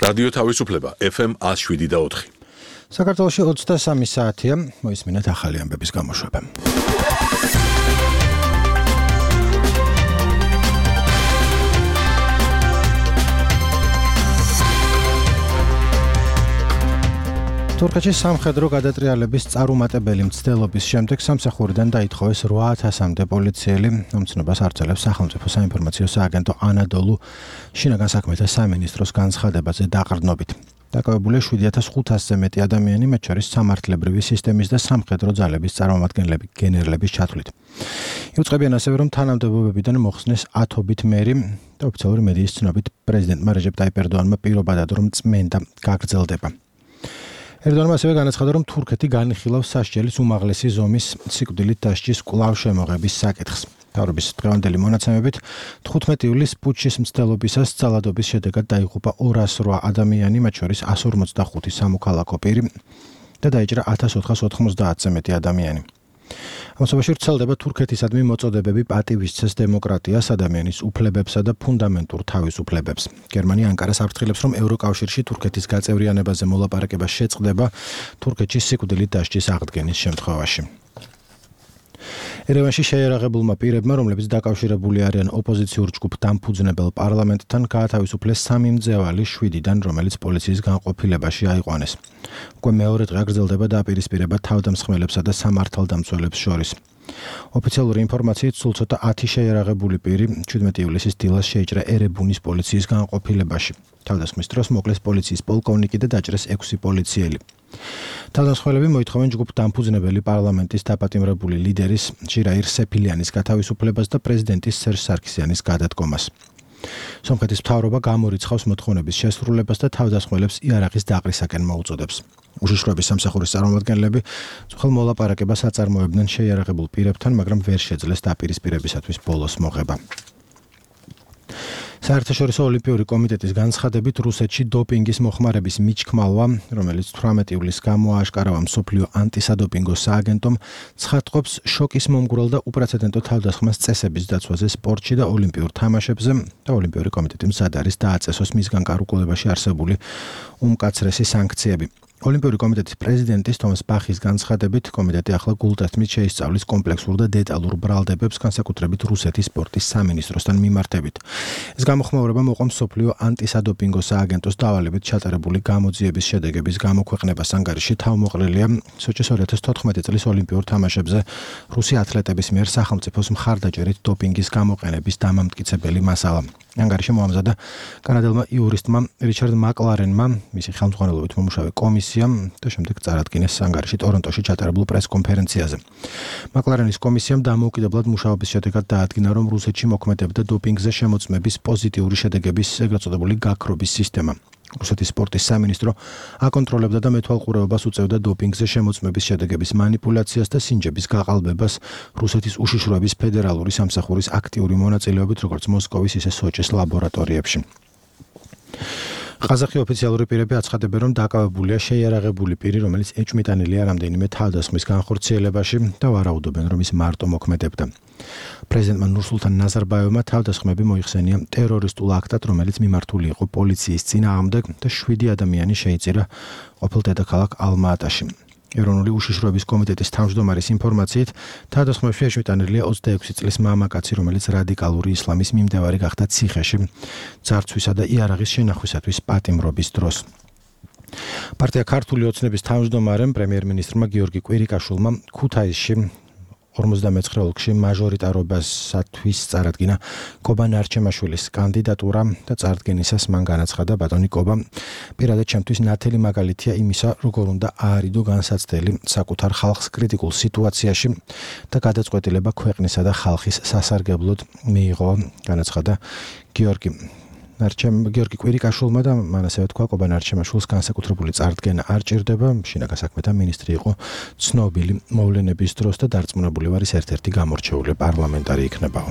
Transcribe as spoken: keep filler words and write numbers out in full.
რადიო თავისუფლება F M one oh seven და four. საქართველოში ოცდასამი საათია, მოისმინეთ ახალი ამბების გამოშვება. თურქეთში სამხედრო გადატრიალების წარუმატებელი მცდელობის შემდეგ სამსახურიდან დაითხოვეს რვა ათასამდე პოლიციელი. მომცნობას արձელებს სახელმწიფო საინფორმაციო სააგენტო ანადოლუ შინაგან საქმეთა სამინისტროს განცხადებაზე დაყრდნობით. დაკავებულია შვიდი ათას ხუთასზე მეტი ადამიანი, მათ შორის სამართლებრივი სისტემის და სამხედრო ძალების წარმომადგენლები, გენერლების ჩათვლით. იუწყებიან ასევე, რომ თანამდებობებიდან მოხსნეს ათობით მერი და ოფიციალური მედიის ცნობით პრეზიდენტმა რეჯეპ ტაიპ ერდოანმა პირობადად რომ წმენდა გაგრძელდება. ერდოანმა ასევე განაცხადა, რომ თურქეთი განიხილავს სასჯელის უმაღლესი ზომის სიკვდილით დასჯის კვლავ შემოღების საკითხს. მთავრობის დღევანდელი მონაცემებით თხუთმეტი ივლისს პუტჩის მცდელობისას ძალადობის შედეგად დაიღუპა ორას რვა ადამიანი, მათ შორის εκατს ორმოცდახუთი სამოქალაქო პირი და დაიჭრა ათას ოთხას ოთხმოცდაათზე მეტი ადამიანი. ამასობაში ვრცელდება თურქეთისადმი მოწოდებები პატივისცეს დემოკრატიას, ადამიანის უფლებებსა და ფუნდამენტურ თავისუფლებებს. გერმანია ანკარას აფრთხილებს, რომ ევროკავშირში თურქეთის გაწევრიანებაზე მოლაპარაკება შეწყდება თურქეთში სიკვდილით დასჯის აღდგენის შემთხვევაში. ერევანში შეიარაღებულმა პირებმა, რომლებიც დაკავშირებული არიან ოპოზიციურ ჯგუფ დამფუძნებელ პარლამენტთან, გაათავისუფლეს სამი მძევალი შვიდიდან, რომელიც პოლიციის განყოფილებაში აიყვანეს. უკვე მეორე დღე გრძელდება დაპირისპირება თავდამსხმელებსა და სამართალდამცველებს შორის. ოფიციალური ინფორმაციით სულ ცოტა ათი შეიარაღებული პირი შვიდმეტი ივლისის დილას შეიჭრა ერებუნის პოლიციის განყოფილებაში. თავდასხმის დროს მოკლეს პოლიციის პოლკოვნიკი და დაჭრეს ექვსი პოლიციელი. თავდამსხმელები მოითხოვენ ჯგუფ დამფუძნებელი პარლამენტის დაპატიმრებული ლიდერის ჟირაირ სეფილიანის გათავისუფლებას და პრეზიდენტის სერჟ სარქისიანის გადადგომას. სომხეთის მთავრობა გამორიცხავს მოთხოვნების შესრულებას და თავდასხმელებს იარაღის დაყრისაკენ მოუწოდებს. უშიშროების სამსახურის წარმომადგენლები ძველ მოლაპარაკებას აწარმოებდნენ შეიარაღებულ პირებთან, მაგრამ ვერ შეძლეს დაპირისპირებისათვის ბოლოს მოღება. საერთაშორისო ოლიმპიური კომიტეტის განცხადებით რუსეთში დოპინგის მოხმარების მიჩქმალვა, რომელიც თვრამეტი ივლისს გამოააშკარავა მსოფლიო ანტისადოპინგო სააგენტომ, ცხადყოფს შოკის მომგვრელ და უპრეცედენტო თავდასხმას წესების დაცვაზე სპორტში და ოლიმპიურ თამაშებზე და ოლიმპიური კომიტეტი მზად არის დააწესოს მისგან გარკვეულებაში არსებული უმკაცრესი სანქციები. ოლიმპიური კომიტეტის პრეზიდენტის თომას ბახის განცხადებით, კომიტეტი ახლა გულთათმით შეისწავლის კომპლექსურ და დეტალურ ბრალდებებს, განსაკუთრებით რუსეთის სპორტის სამინისტროსთან მიმართებით. ეს გამოხმაურება მოყვა მსოფლიო ანტისადოპინგო სააგენტოს დავალებით ჩატარებული გამოძიების შედეგების გამოქვეყნებას. ანგარიში თავმოყრილია სოჩის ორი ათას თოთხმეტი წლის ოლიმპიურ თამაშებზე რუსი ათლეტების მიერ სახელმწიფოს მხარდაჭერით დოპინგის გამოყენების დამამტკიცებელი მასალა. ანგარიში მოამზადა კანადელმა იურისტმა რიჩარდ მაკლარენმა, მისი ხელმძღვანელობით მომუშავე კომისიამ და შემდეგ წარადგინეს ანგარიში ტორონტოში ჩატარებულ პრეს-კონფერენციაზე. მაკლარენის კომისიამ დამოუკიდებლად მუშაობის შედეგად დაადგინა, რომ რუსეთში მოქმედებდა დოპინგზე შემოწმების პოზიტიური შედეგების ეგრეთ წოდებული გაქრობის სისტემა. რუსეთის სპორტის სამინისტრო აკონტროლებდა და მეთვალყურეობას უწევდა დოპინგზე შემოწმების შედეგების манипуляციას და სინჯების გაყალბებას რუსეთის უშიშროების ფედერალური სამსახურის აქტიური მონაწილეობით, როგორც მოსკოვის, ისე სოჩის ლაბორატორიებში. ყაზახი ოფიციალური პირები აცხადებენ, რომ დაკავებულია შეიარაღებული პირი, რომელიც ეჭვმიტანილია რამდენიმე თავდასხმის განხორციელებაში და ვარაუდობენ, რომ ის მარტო მოქმედებდა. პრეზიდენტმა ნურსულთან ნაზარბაევმა თავდასხმები მოიხსენია ტერორისტულ აქტად, რომელიც მიმართული იყო პოლიციის წინააღმდეგ და შვიდი ადამიანი შეიწირა ყოფილ დედაქალაქ ალმა-ატაში. ეროვნული უშიშროების კომიტეტის თავმჯდომარის ინფორმაციით, თავდასხმებში ეჭვმიტანილია ოცდაექვსი წლის მამაკაცი, რომელიც რადიკალური ისლამის მიმდევარი გახდა ციხეში ძარცვისა და იარაღის შენახვისათვის პატიმრობის დროს. პარტია ქართული ოცნების თავმჯდომარემ პრემიერ-მინისტრმა გიორგი კვირიკაშვილმა ქუთაისში ორმოცდამეცხრე ოლქში მაჟორიტარობასათვის წარადგინა კობა ნარჩემაშვილის კანდიდატურა და წარდგენისას მან განაცხადა, ბატონი კობა, პირადად ჩემთვის ნათელი მაგალითია იმისა, როგორ უნდა აარიდო განსაცდელი საკუთარ ხალხს კრიტიკულ სიტუაციაში და გადაწყვეტილება ქვეყნისა და ხალხის სასარგებლოდ მიიღო, განაცხადა გიორგი ნარჩემ გიორგი კვირიკაშვილმა და მან ასევე თქვა, კობა ნარჩემაშვილს განსაკუთრებული წარდგენა არ ჭირდება, შინაგან საქმეთა მინისტრი იყო ცნობილი მოვლენების დროს და დარწმუნებული ვარ, ის ერთ-ერთი გამორჩეული პარლამენტარი იქნებაო.